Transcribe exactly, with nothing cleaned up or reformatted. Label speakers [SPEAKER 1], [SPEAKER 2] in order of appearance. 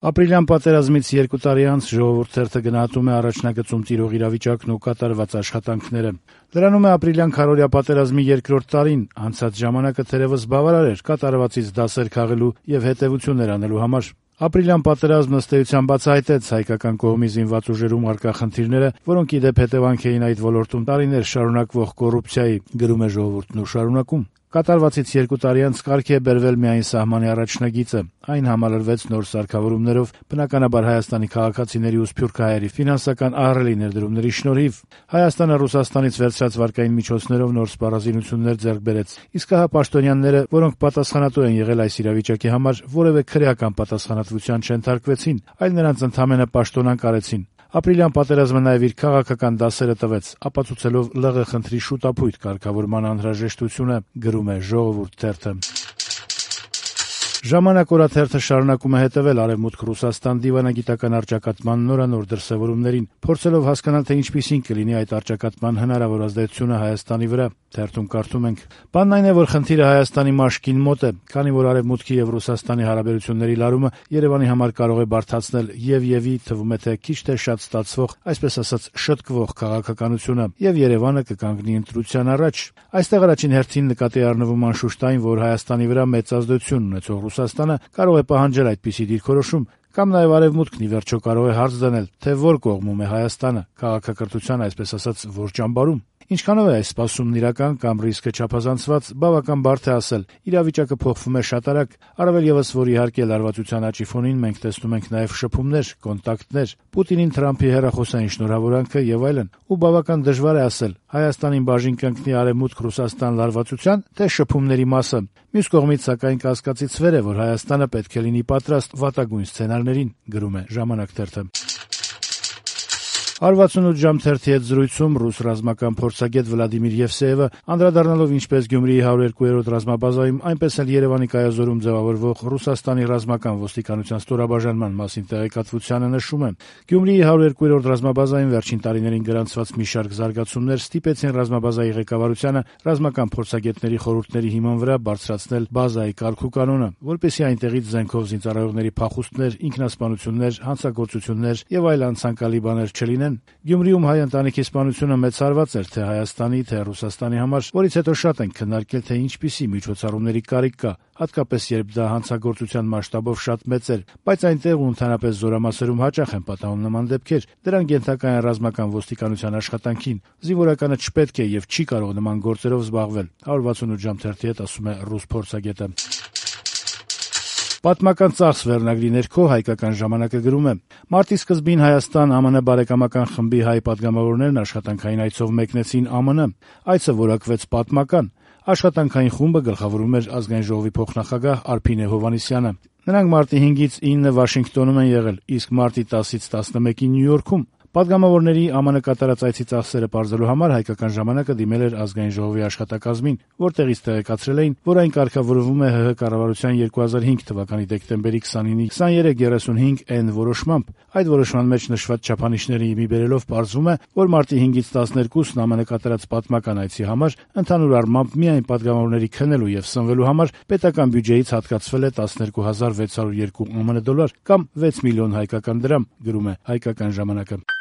[SPEAKER 1] Ապրիլյան պատերազմից երկու տարի անց «Ժողովուրդ» թերթը գնահատում է առաջնագծում տիրող իրավիճակն ու կատարված աշխատանքները։ Լրանում է ապրիլյան քարոզիա պատերազմի երկրորդ տարին, անցած ժամանակը թերևս բավարար էր կատարվածից դասեր քաղելու եւ հետեւություններ անելու համար։ Ապրիլյան պատերազմն ըստ էության բացահայտեց հայկական կողմի զինված ուժերում առկա խնդիրները, որոնք ի դեպ հետևանք էին այդ ոլորտում տարիներ շարունակվող կոռուպցիայի, գրում է «Ժողովուրդ»-ն ու շարունակում. Կատարվածից երկու տարի անց կարգի է բերվել միայն սահմանի առաջնագիծը։ Այն համալրվեց նոր սարքավորումներով, բնականաբար Հայաստանի քաղաքացիների ու սփյուռք հայերի ֆինանսական ահռելի ներդրումների շնորհիվ։ Հայաստանը Ռուսաստանից վերցրած վարկային միջոցներով նոր սպառազինություններ ձեռք բերեց։ Իսկ ահա պաշտոնյաները, որոնք պատասխանատու են եղել այս իրավիճակի համար, որևէ քրեական պատասխանատվության չենթարկվեցին, այլ նրանց ընդամենը պաշտոնանկ արեցին։ Ապրիլյան պատերազմը նաև իր քաղաքական դասերը տվեց, ապացուցելով ԼՂ խնդրի շուտափույթ կարգավորման անհրաժեշտությունը, գրում է «Ժողովուրդ» թերթը։ «Ժամանակ» օրաթերթը շարունակում է հետևել Արևմուտք Ռուսաստան դիվանագիտական առճակատման նորանոր դրսևորումներին, փորձելով հասկանալ, թե ինչպիսին կլինի այդ առճակատման հնարավոր ազդեցությունը Հայաստանի վրա։ Թերթում կարդում ենք. «Բանն այն է, որ խնդիրը Հայաստանի մաշկին մոտ է, քանի որ Արևմուտքի եւ Ռուսաստանի հարաբերությունների լարումը Երևանի համար կարող է բարդացնել եւ-եւի թվում է թե քիչ թե շատ ստացվող, այսպես ասած, շտկվող քաղաքականությունը, եւ Երևանը կկանգնի ընտրության առաջ։ Այստեղ առաջին հերթին նկատի առնվում անշուշտ այն, որ Հայաստանի վրա մեծ ազդեցություն ունեցող Ռուսաստանը կարող է պահանջել այդպիսի դիրքորոշում, կամ նաև Արևմուտքն ի վերջո կարող է հարց դնել, թե որ կողմում է Հայաստանը, քաղաքակրթության, այսպես ասած, որ ճամբարում։ Ինչքանով է այս սպասումն իրական կամ ռիսկը չափազանցված, բավական բարդ է ասել։ Իրավիճակը փոխվում է շատ արագ, առավել եւս, որ իհարկե լարվածության աճի ֆոնին մենք տեսնում ենք նաև շփումներ, կոնտակտներ, Պուտինին Թրամփի հեռախոսային շնորհավորանքը եւ այլն, ու բավական դժվար է ասել Հայաստանին բաժին կընկնի Արևմուտք-Ռուսաստան լարվածության, թե շփումների մասը։ Մյուս կողմից, սակայն, կասկածիցվեր է, որ Հայաստանը պետք է լինի պատրաստ վատագույն սցենարներին, գրում է «Ժամանակ» թերթը։ «հարվածունութ ժամ» թերթի հետ զրույցում ռուս ռազմական փորձագետ Վլադիմիր Եվսեևը, անդրադառնալով ինչպես Գյումրիի հարյուր երկու ռազմաբազայում, այնպես էլ Երևանի կայազորում ձևավորվող Ռուսաստանի ռազմական ոստիկանության ստորաբաժանման մասին տեղեկատվությանը, նշում է. «Գյումրիի հարյուր երկու ռազմաբազայում վերջին տարիներին գրանցված մի շարք զարգացումներ ստիպեցին ռազմաբազայի ղեկավարությանը ռազմական փորձագետների խորհուրդների հիման վրա բարձրացնել բազայի կարգուկանոնը, որպեսզի այնտեղից զենքով զինծառայողների փախուստներ, ինքնասպանություններ, հանցագործություններ եւ այլ անցանկալի բաներ չլինեն։ Գյումրիում հայ ընտանիքի սպանությունը մեծ հարված էր թե Հայաստանի, թե Ռուսաստանի համար, որից հետո շատ ենք քննարկել, թե ինչպիսի միջոցառումների կարիք կա, հատկապես երբ դա հանցագործության մասշտաբով շատ մեծ էր, բայց այնտեղ ու ընդհանրապես զորամասերում հաճախ են պատահում նման դեպքեր, դրանք ենթակա են ռազմական ոստիկանության աշխատանքին, զինվորականը չպետք է եւ չի կարող նման գործերով զբաղվել», հարվածունութ ժամ թերթի հետ ասում է ռուս փորձագետը։ Պատմական ծախս վերնագրի ներքո Հայկական ժամանակը գրում է. «Մարտի սկզբին Հայաստան ԱՄՆ բարեկամական խմբի հայ պատգամավորներն աշխատանքային այցով մեկնեցին ԱՄՆ։ Այցը որակվեց պատմական։ Աշխատանքային խումբը գլխավորում էր Ազգային ժողովի փոխնախագահ Արփինե Հովհաննիսյանը։ Նրանք մարտի հինգից ինը Վաշինգտոնում են եղել, իսկ մարտի տասից տասնմեկին Նյու Յորքում։ Պատգամավորների ԱՄՆ կատարած այցի ծախսերը պարզելու համար Հայկական ժամանակը դիմել էր Ազգային ժողովի աշխատակազմին, որտեղից տեղեկացրել էին, որ այն կարգավորվում է ՀՀ կառավարության երկու հազար հինգ թվականի դեկտեմբերի քսանինի քսաներեք երեսունհինգ N որոշմամբ։ Այդ որոշման մեջ նշված չափանիշների մի բերելով պարզվում է, որ մարտի հինգից տասներկուսն ԱՄՆ կատարած պատմական այցի համար ընդհանուր առմամբ միայն պատգամավորների քնելու եւ սնվելու համար պետական բյուջեից հատկացվել է տասներկու հազար վեց հարյուր երկու ԱՄՆ դոլար կամ վեց միլիոն հայկական դրամ, գրում է Հայկական ժամանակը։